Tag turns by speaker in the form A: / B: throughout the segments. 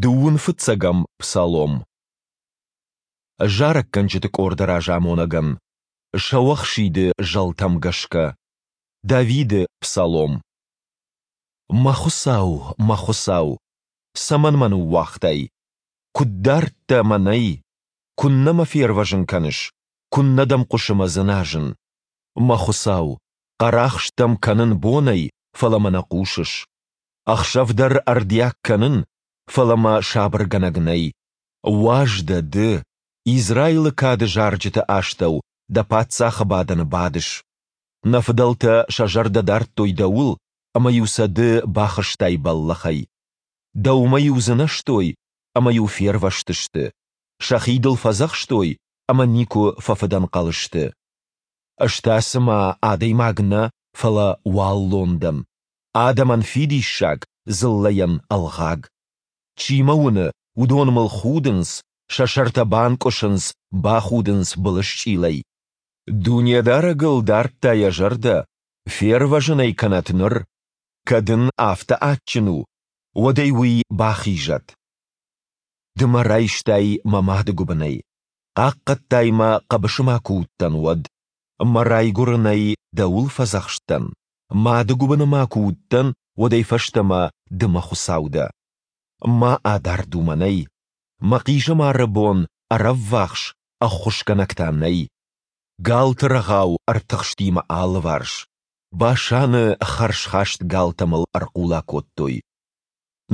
A: Дыууын фыццӕгӕм псалом. Зарӕггӕнджыты къорды разамонӕгӕн. Сӕуӕхсиды зӕлтӕм гӕсгӕ. Давиды псалом. Мӕ Хуыцау, мӕ Хуыцау, цӕмӕн мӕ ныууагътай? Куыд дард дӕ мӕнӕй? Куыннӕ мӕ фервӕзын кӕныс? Куыннӕ дӕм хъуысы мӕ дзыназын? Мӕ Хуыцау, хъӕрахст дӕм кӕнын бонӕй, фӕлӕ мӕ нӕ хъусыс. Ӕхсӕв дӕр ӕрдиаг кӕнын, фӕлӕ мӕ сабыргӕнӕг нӕй. Уаз дӕ ды, Израилы кады зарджыты астӕу дӕ паддзахы бадӕны бадыс. Нӕ фыдӕлтӕ сӕ зӕрдӕ дардтой дӕуыл, ӕмӕ-иу сӕ ды бахызтай бӕллӕхӕй. Дӕумӕ-иу дзынӕзтой, ӕмӕ-иу фервӕзтысты. Сӕхи дыл фӕдзӕхстой, ӕмӕ никуы фӕфыдӕнхъӕл сты. Ӕз та цыма адӕймаг нӕ, фӕлӕ уаллон дӕн. Адӕмӕн фидиссаг, дзыллӕйӕн ӕлгъаг. Чи мӕ уыны, уыдон мыл худынц, сӕ сӕртӕ банкъуысынц, бахудынц былысчъилӕй. Дунедарӕгыл дардта йӕ зӕрдӕ, фервӕзын ӕй кӕнӕт ныр, кӕд ын афтӕ адджын у, уӕд ӕй уый бахизӕд. Ды мӕ райстай мӕ мады гуыбынӕй, хъахъхъӕдтай мӕ, хъӕбысы ма куы уыдтӕн, уӕд. Мӕ райгуырынӕй дӕуыл фӕдзӕхст дӕн, мады гуыбыны ма куы уыдтӕн, уӕдӕй фӕстӕмӕ ды мӕ Хуыцау дӕ. Ма адард у мӕнӕй. Мӕ хъизӕмары бон ӕрӕввахс, ӕххуысгӕнӕг та нӕй. Галты рӕгъау ӕртыхсти мӕ алыварс. Басаны хӕрзхаст галтӕ мыл ӕрхъула кодтой.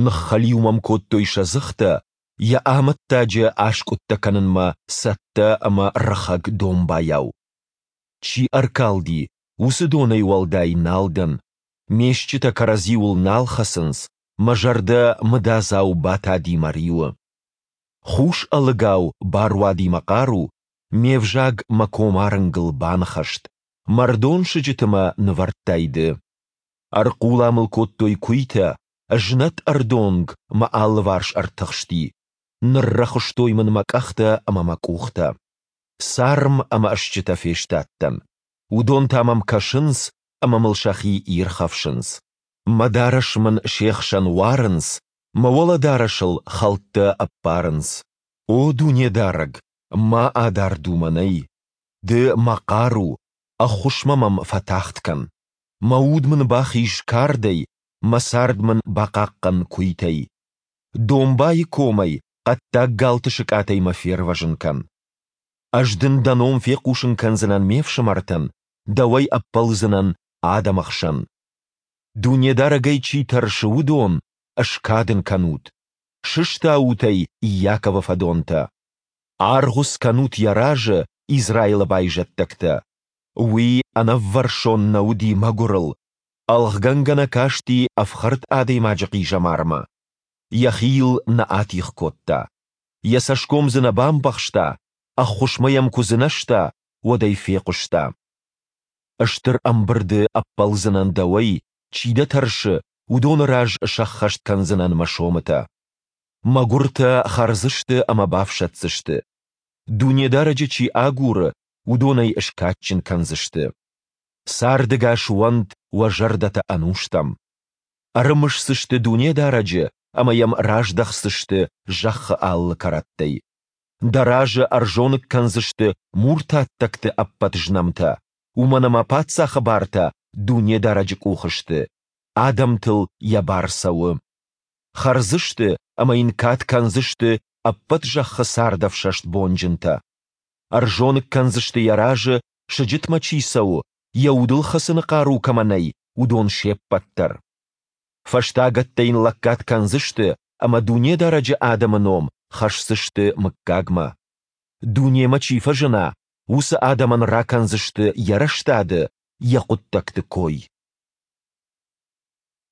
A: Ныххӕлиу мӕм кодтой сӕ дзыхтӕ, йӕ амӕттаджы аскъуыдтӕ кӕнынмӕ цӕттӕ ӕмӕ рыхӕг домбайау. Чи ӕркалди, уыцы донӕй уӕлдай нал дӕн, ме стджытӕ кӕрӕдзиуыл нал хӕцынц, мӕ зӕрдӕ мыдадзау батади мӕ риуы. Хус ӕлыгау баруади мӕ хъару, ме взаг мӕ комарынгыл баныхӕст, мӕрдон сыджыты мӕ нывӕрдтай ды. Ӕрхъула мыл кодтой куыйтӕ, знӕт ӕрдонг мӕ алыварс ӕртыхсти, ныррӕхуыстой мын мӕ къӕхтӕ ӕмӕ мӕ къухтӕ. Царм ӕмӕ стджытӕ фестадтӕн. Уыдон та мӕм кӕсынц ӕмӕ мыл сӕхи ирхӕфсынц. Мӕ дарӕс мын се хсӕн уарынц, мӕ уӕлӕдарӕсыл хӕлттӕ ӕппарынц. О Дунедарӕг, ма адард у мӕнӕй! Ды мӕ хъару, ӕххуысмӕ мӕм фӕтагъд кӕн. Мӕ уд мын бахиз кардӕй, мӕ цард мын бахъахъхъӕн куыйтӕй. Домбайы комӕй, хъӕддаг галты сыкъатӕй мӕ фервӕзын кӕн. Ӕз дын дӕ ном фехъусын кӕндзынӕн ме фсымӕртӕн, дӕуӕй ӕппӕлдзынӕн адӕмы хсӕн. Дунедарӕгӕй чи тӕрсы, уыдон, скад ын кӕнут. Сыстаут ӕй, Иаковы фӕдонтӕ. Аргъуыц кӕнут йӕ разы, Израилы байзӕддӕгтӕ. Уый ӕнӕввӕрсон нӕ уыди мӕгуырыл, ӕлгъгӕнгӕ нӕ касти ӕфхӕрд адӕймаджы хъизӕмармӕ. Йӕхи йыл нӕ атигъ кодта. Йӕ цӕсгом дзы нӕ бамбӕхста, ӕххуысмӕ йӕм куы дзынӕзта, уӕд ӕй фехъуыста. Стыр ӕмбырды ӕппӕлдзынӕн дӕуӕй, чи дӕ тӕрсы, уыдоны раз сӕххӕст кӕндзынӕн мӕ сомытӕ. Мӕгуыртӕ хӕрдзысты ӕмӕ бафсӕддзысты. Дунедарӕджы чи агуры, уыдон ӕй скадджын кӕндзысты. Цардӕгас уӕнт уӕ зӕрдӕтӕ ӕнустӕм. Ӕрымысдзысты Дунедарӕджы ӕмӕ йӕм раздӕхдзысты зӕххы алы кӕрӕттӕй. Дӕ разы ӕрзоныг кӕндзысты муртаттӕгты ӕппӕт знӕмтӕ, уымӕн ӕмӕ паддзахы бартӕ Дунедарӕджы къухы сты, адӕмтыл йӕ бар цӕуы. Хӕрдзысты ӕмӕ йын кад кӕндзысты ӕппӕт зӕххы цардӕфсӕст бонджынтӕ. Ӕрзоныг кӕндзысты йӕ разы, сыджытмӕ чи цӕуы, йӕ удыл хӕцыны хъару кӕмӕ нӕй, уыдон се ппӕт дӕр. Фӕстагӕттӕ йын лӕггад кӕндзысты ӕмӕ Дунедарӕджы адӕмы ном хӕсдзысты мыггагмӕ. Дунемӕ чи фӕзына, уыцы адӕмӕн ракӕндзысты йӕ рӕстады, йӕ хъуыддӕгты кой.